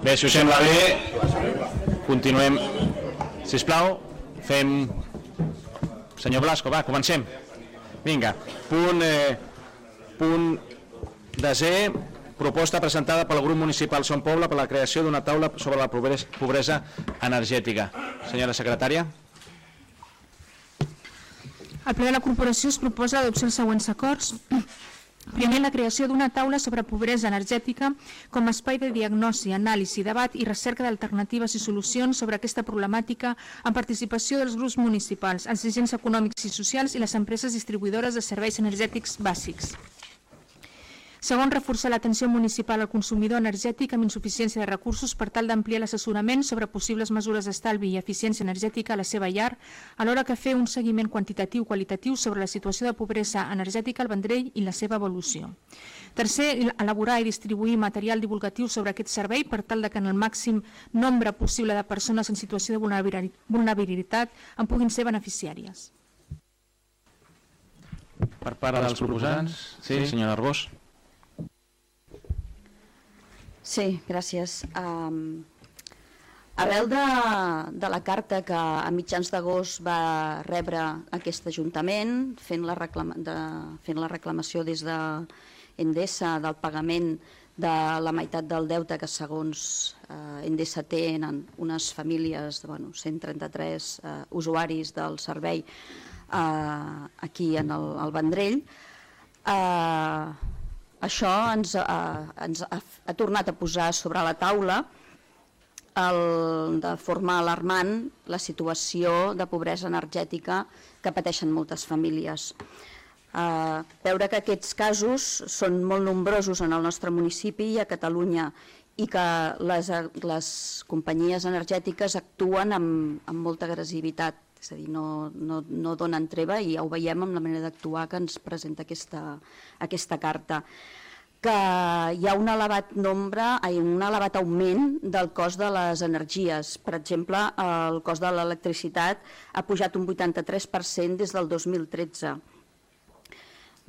Bé, si us sembla bé, continuem. Sisplau, fem... Senyor Blasco, va, comencem. Vinga, punt desè, proposta presentada pel grup municipal Son Poble per la creació d'una taula sobre la pobresa energètica. Senyora secretària. Al ple de la corporació es proposa adoptar els següents acords. Primer, la creació d'una taula sobre pobresa energètica com a espai de diagnosi, anàlisi, debat i recerca d'alternatives i solucions sobre aquesta problemàtica amb participació dels grups municipals, els agents econòmics i socials i les empreses distribuïdores de serveis energètics bàsics. Segon, reforçar l'atenció municipal al consumidor energètic amb insuficiència de recursos per tal d'ampliar l'assessorament sobre possibles mesures d'estalvi i eficiència energètica a la seva llar, alhora que fer un seguiment quantitatiu i qualitatiu sobre la situació de pobresa energètica al Vendrell i la seva evolució. Tercer, elaborar i distribuir material divulgatiu sobre aquest servei per tal que en el màxim nombre possible de persones en situació de vulnerabilitat en puguin ser beneficiàries. Per part dels proposants, sí, senyora Arbós. Sí, gràcies. Arrel de la carta que a mitjans d'agost va rebre aquest Ajuntament, fent la reclamació des d'Endesa del pagament de la meitat del deute que segons Endesa tenen unes famílies de 133 usuaris del servei aquí al Vendrell, això ens ha tornat a posar sobre la taula de forma alarmant la situació de pobresa energètica que pateixen moltes famílies. Veure que aquests casos són molt nombrosos en el nostre municipi i a Catalunya i que les companyies energètiques actuen amb molta agressivitat, és a dir, no donen treva i ja ho veiem amb la manera d'actuar que ens presenta aquesta carta. Que hi ha un elevat augment del cost de les energies. Per exemple, el cost de l'electricitat ha pujat un 83% des del 2013.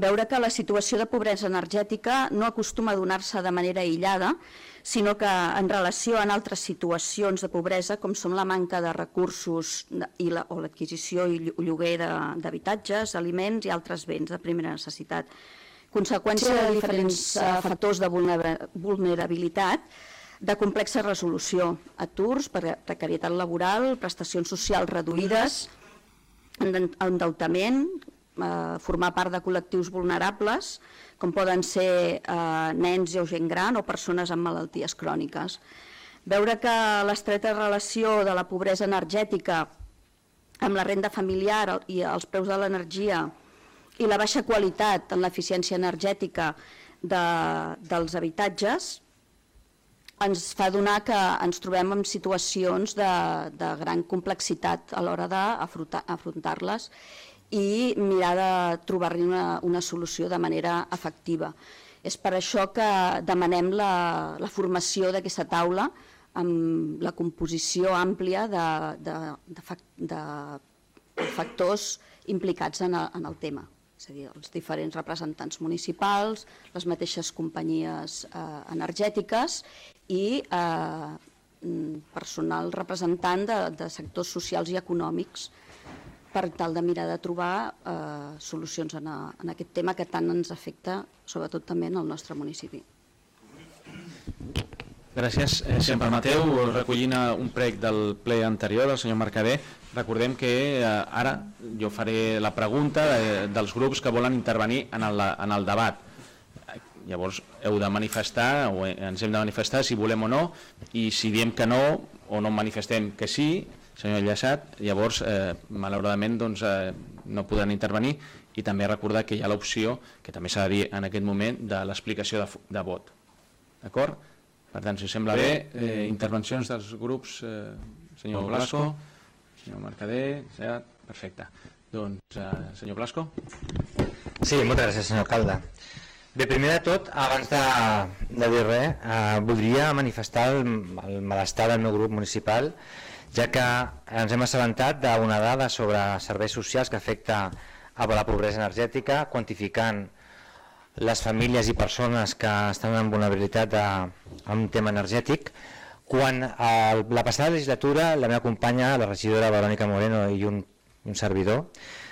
Veure que la situació de pobresa energètica no acostuma a donar-se de manera aïllada, sinó que en relació amb altres situacions de pobresa, com són la manca de recursos o l'adquisició i lloguer d'habitatges, aliments i altres béns de primera necessitat. Conseqüència de diferents factors de vulnerabilitat, de complexa resolució, aturs, precarietat laboral, prestacions socials reduïdes, endeutament, formar part de col·lectius vulnerables, com poden ser nens o gent gran o persones amb malalties cròniques. Veure que l'estreta relació de la pobresa energètica amb la renda familiar i els preus de l'energia i la baixa qualitat en l'eficiència energètica dels habitatges ens fa donar que ens trobem en situacions de gran complexitat a l'hora d'afrontar-les i mirar de trobar-hi una solució de manera efectiva. És per això que demanem la formació d'aquesta taula amb la composició àmplia de factors implicats en el tema. És a dir, els diferents representants municipals, les mateixes companyies energètiques i personal representant de sectors socials i econòmics per tal de mirar de trobar solucions en aquest tema que tant ens afecta, sobretot també en el nostre municipi. Gràcies. Si em permeteu, recollint un prec del ple anterior del senyor Mercader, recordem que ara jo faré la pregunta dels grups que volen intervenir en el debat. Llavors heu de manifestar, o ens hem de manifestar si volem o no, i si diem que no o no manifestem que sí, senyor Llaçat, llavors malauradament no podran intervenir, i també recordar que hi ha l'opció, que també s'ha de dir en aquest moment, de l'explicació de vot. D'acord? Per tant, si us sembla bé, intervencions dels grups, senyor Blasco, senyor Mercader, perfecte. Doncs, senyor Blasco. Sí, moltes gràcies, senyor alcalde. Bé, primer de tot, abans de dir res, voldria manifestar el malestar del meu grup municipal, ja que ens hem assabentat d'una dada sobre serveis socials que afecta a la pobresa energètica, quantificant les famílies i persones que estan en vulnerabilitat a un tema energètic, quan la passada legislatura la meva companya, la regidora Verònica Moreno i un servidor,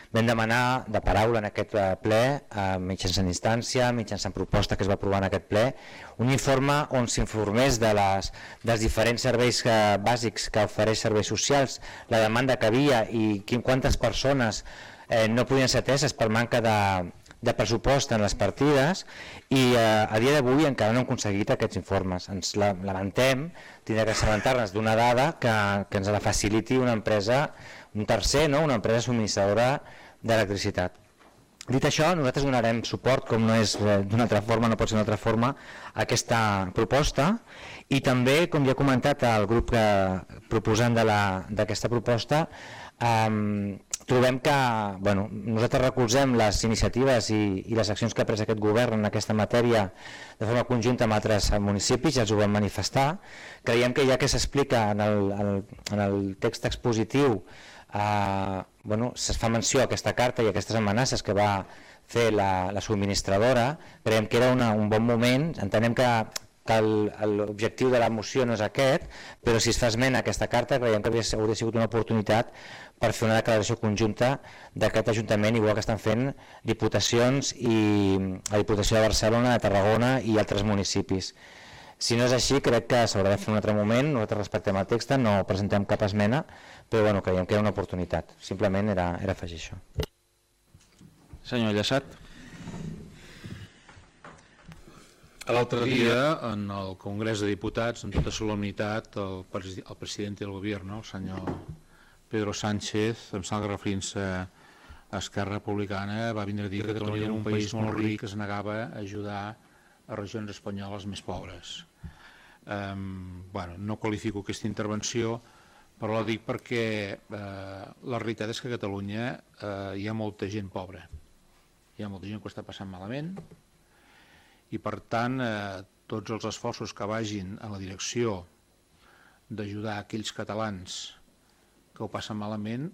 vam demanar de paraula en aquest ple, mitjançant instància, mitjançant proposta que es va aprovar en aquest ple, un informe on s'informés dels diferents serveis bàsics que ofereix serveis socials, la demanda que havia i quantes persones no podien ser ateses per manca de pressupost en les partides, i a dia d'avui encara no hem aconseguit aquests informes. Ens lamentem tindre que assabentar-nos d'una dada que ens la faciliti una empresa, un tercer, una empresa subministradora d'electricitat. Dit això, nosaltres donarem suport, com no és d'una altra forma, no pot ser d'una altra forma, a aquesta proposta, i també, com ja he comentat, el grup proposant d'aquesta proposta, trobem que nosaltres recolzem les iniciatives i les accions que ha pres aquest govern en aquesta matèria de forma conjunta amb altres municipis, ja els ho vam manifestar. Creiem que ja que s'explica en el text expositiu, es fa menció a aquesta carta i a aquestes amenaces que va fer la subministradora, creiem que era un bon moment. Entenem que l'objectiu de la moció no és aquest, però si es fa esment a aquesta carta creiem que hauria sigut una oportunitat per fer una declaració conjunta d'aquest Ajuntament, igual que estan fent diputacions i la Diputació de Barcelona, de Tarragona i altres municipis. Si no és així, crec que s'haurà de fer un altre moment. Nosaltres respectem el text, no presentem cap esmena, però creiem que era una oportunitat. Simplement era afegir això. Senyor Llaçat. L'altre dia, en el Congrés de Diputats, amb tota solemnitat, el president del govern, el senyor Pedro Sánchez, em sembla que referint-se a Esquerra Republicana, va vindre a dir que Catalunya era un país molt ric que es negava a ajudar a regions espanyoles més pobres. No qualifico aquesta intervenció, però la dic perquè la realitat és que a Catalunya hi ha molta gent pobra, hi ha molta gent que ho està passant malament, i per tant tots els esforços que vagin en la direcció d'ajudar aquells catalans que ho passen malament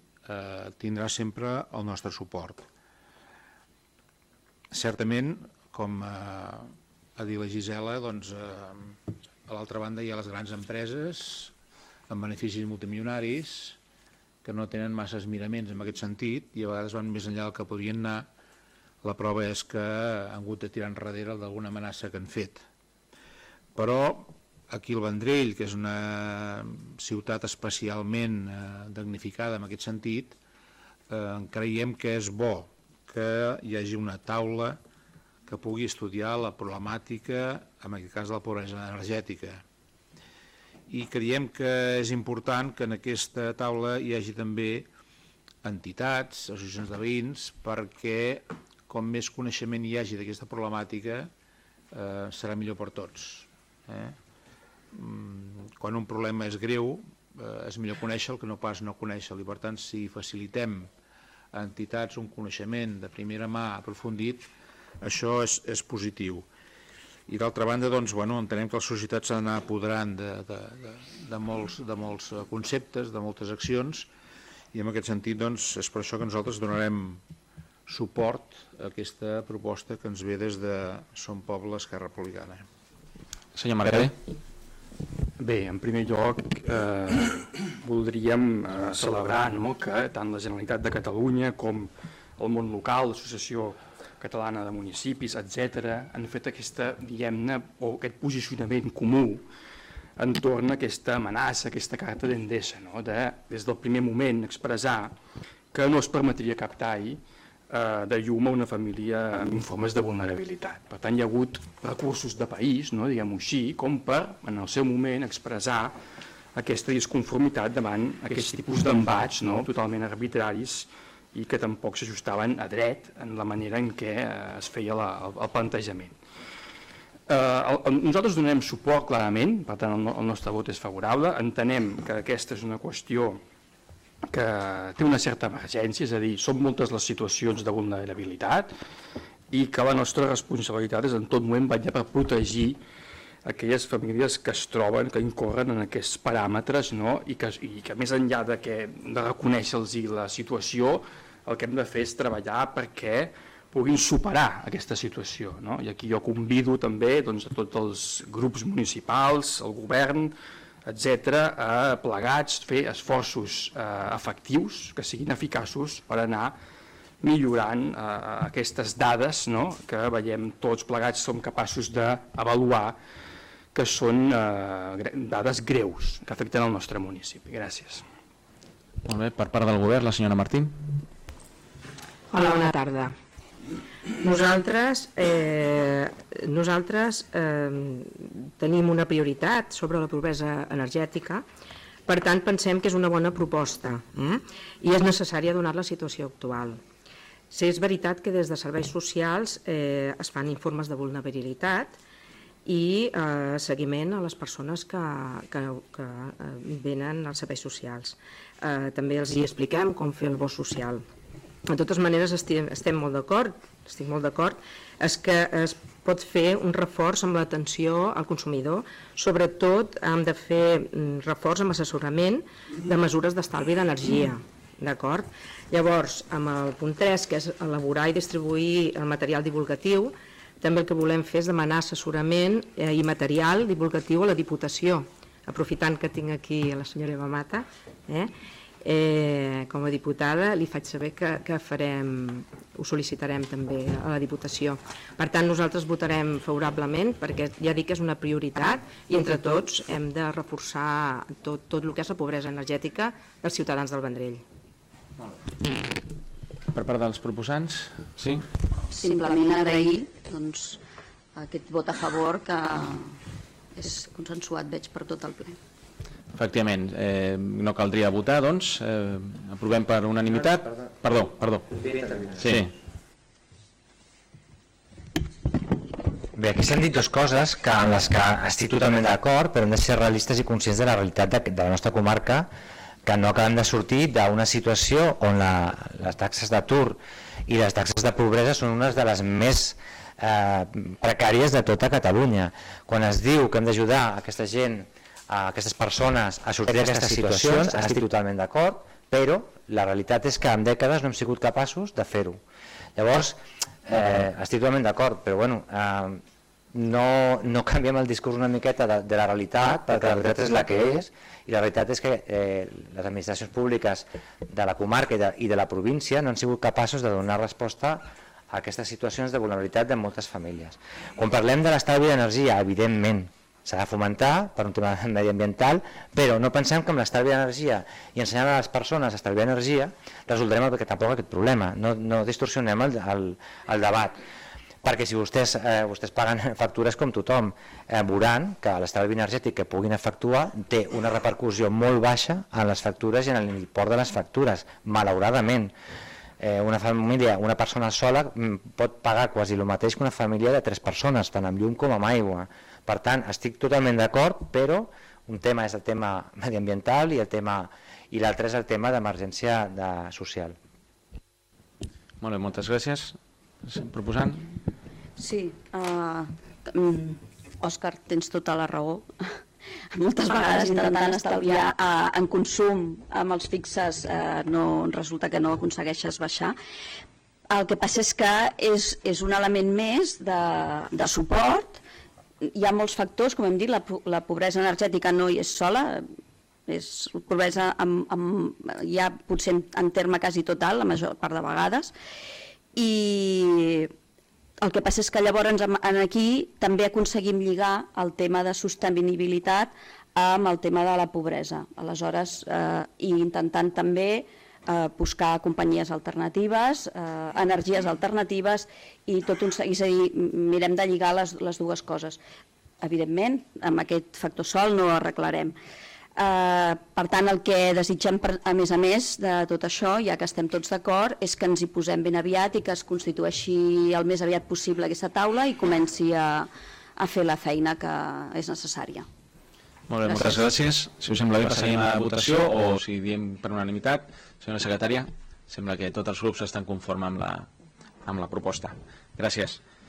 tindrà sempre el nostre suport. Certament, com ha dit la Gisela, a l'altra banda hi ha les grans empreses amb beneficis multimilionaris que no tenen massa miraments en aquest sentit i a vegades van més enllà del que podrien anar. La prova és que han hagut de tirar enrere d'alguna amenaça que han fet. Però aquí al Vendrell, que és una ciutat especialment damnificada en aquest sentit, creiem que és bo que hi hagi una taula que pugui estudiar la problemàtica, en aquest cas de la pobresa energètica. I creiem que és important que en aquesta taula hi hagi també entitats, associacions de veïns, perquè com més coneixement hi hagi d'aquesta problemàtica serà millor per tots. Quan un problema és greu és millor conèixer-lo que no pas no conèixer-lo, i per tant si facilitem a entitats un coneixement de primera mà aprofundit, això és positiu. I d'altra banda, entenem que la societat s'ha d'anar apoderant de molts conceptes, de moltes accions, i en aquest sentit és per això que nosaltres donarem suport a aquesta proposta que ens ve des de Som Poble, Esquerra Republicana. Senyor Margaré. Bé, en primer lloc voldríem celebrar que tant la Generalitat de Catalunya com el món local, l'Associació Catalana de Municipis, etc., han fet aquesta, diguem-ne, o aquest posicionament comú entorn a aquesta amenaça, aquesta carta d'Endesa, des del primer moment expressar que no es permetria cap tall de llum a una família amb informes de vulnerabilitat. Per tant, hi ha hagut recursos de país, diguem-ho així, com per, en el seu moment, expressar aquesta disconformitat davant aquest tipus d'embats totalment arbitraris i que tampoc s'ajustaven a dret en la manera en què es feia el plantejament. Nosaltres donem suport clarament, per tant el nostre vot és favorable, entenem que aquesta és una qüestió que té una certa emergència, és a dir, són moltes les situacions de vulnerabilitat i que la nostra responsabilitat és en tot moment vetllar per protegir aquelles famílies que es troben, que incorren en aquests paràmetres i que més enllà de reconèixer-los la situació, el que hem de fer és treballar perquè puguin superar aquesta situació, no? I aquí jo convido també doncs, a tots els grups municipals, el govern, etc., a plegats fer esforços efectius que siguin eficaços per anar millorant aquestes dades, no? Que veiem tots plegats som capaços d'avaluar, que són dades greus que afecten el nostre municipi. Gràcies. Molt bé, per part del govern, la senyora Martín. Hola, bona tarda. Nosaltres tenim una prioritat sobre la pobresa energètica, per tant pensem que és una bona proposta i és necessària donar la situació actual. Sí, és veritat que des de serveis socials es fan informes de vulnerabilitat i seguiment a les persones que venen als serveis socials. També els hi expliquem com fer el bo social. De totes maneres estem molt d'acord, estic molt d'acord, és que es pot fer un reforç amb l'atenció al consumidor, sobretot hem de fer reforç amb assessorament de mesures d'estalvi d'energia, d'acord? Llavors, amb el punt 3, que és elaborar i distribuir el material divulgatiu, també el que volem fer és demanar assessorament i material divulgatiu a la Diputació, aprofitant que tinc aquí a la senyora Eva Mata, com a diputada li faig saber que ho sol·licitarem també a la Diputació. Per tant, nosaltres votarem favorablement perquè ja dic que és una prioritat i entre tots hem de reforçar tot el que és la pobresa energètica dels ciutadans del Vendrell. Per part dels proposants, sí? Simplement agrair aquest vot a favor que és consensuat, veig, per tot el ple. Efectivament, no caldria votar, doncs, aprovem per unanimitat. Perdó. Sí. Bé, aquí s'han dit dues coses en les que estic totalment d'acord, però hem de ser realistes i conscients de la realitat de la nostra comarca, que no acabem de sortir d'una situació on les taxes d'atur i les taxes de pobresa són unes de les més precàries de tota Catalunya. Quan es diu que hem d'ajudar aquesta gent, a aquestes persones a sortir d'aquestes situacions, estic totalment d'acord, però la realitat és que en dècades no hem sigut capaços de fer-ho. Llavors, estic totalment d'acord, però bueno, no canviem el discurs una miqueta de la realitat, perquè la veritat és la que és, i la realitat és que les administracions públiques de la comarca i de la província no han sigut capaços de donar resposta a aquestes situacions de vulnerabilitat de moltes famílies. Quan parlem de l'estalvi d'energia, evidentment, s'ha de fomentar per un tema mediambiental, però no pensem que amb l'estalvi d'energia i ensenyant a les persones a estalviar energia resoldrem tampoc aquest problema, no distorsionem el debat, perquè si vostès paguen factures com tothom, veuran que l'estalvi energètic que puguin efectuar té una repercussió molt baixa en les factures i en l'import de les factures, malauradament. Una família, una persona sola pot pagar quasi el mateix que una família de 3 persones, tant amb llum com amb aigua. Per tant, estic totalment d'acord, però un tema és el tema mediambiental i l'altre és el tema d'emergència social. Molt bé, moltes gràcies. Proposant? Sí, Òscar, tens tota la raó. Moltes vegades intentant estalviar en consum amb els fixes resulta que no aconsegueixes baixar. El que passa és que és un element més de suport. Hi ha molts factors, com hem dit, la pobresa energètica no hi és sola, és pobresa ja potser en terme quasi total, la major part de vegades, i el que passa és que llavors aquí també aconseguim lligar el tema de sostenibilitat amb el tema de la pobresa, aleshores, i intentant també buscar companyies alternatives, energies alternatives i és a dir, mirem de lligar les dues coses. Evidentment, amb aquest factor sol no ho arreglarem. Per tant, el que desitgem, a més de tot això, ja que estem tots d'acord, és que ens hi posem ben aviat i que es constitueixi el més aviat possible aquesta taula i comenci a fer la feina que és necessària. Molt bé, moltes gràcies. Si us sembla bé, passarem a la votació o si diem per unanimitat. Senyora secretària, sembla que tots els grups estan conformes amb la proposta. Gràcies.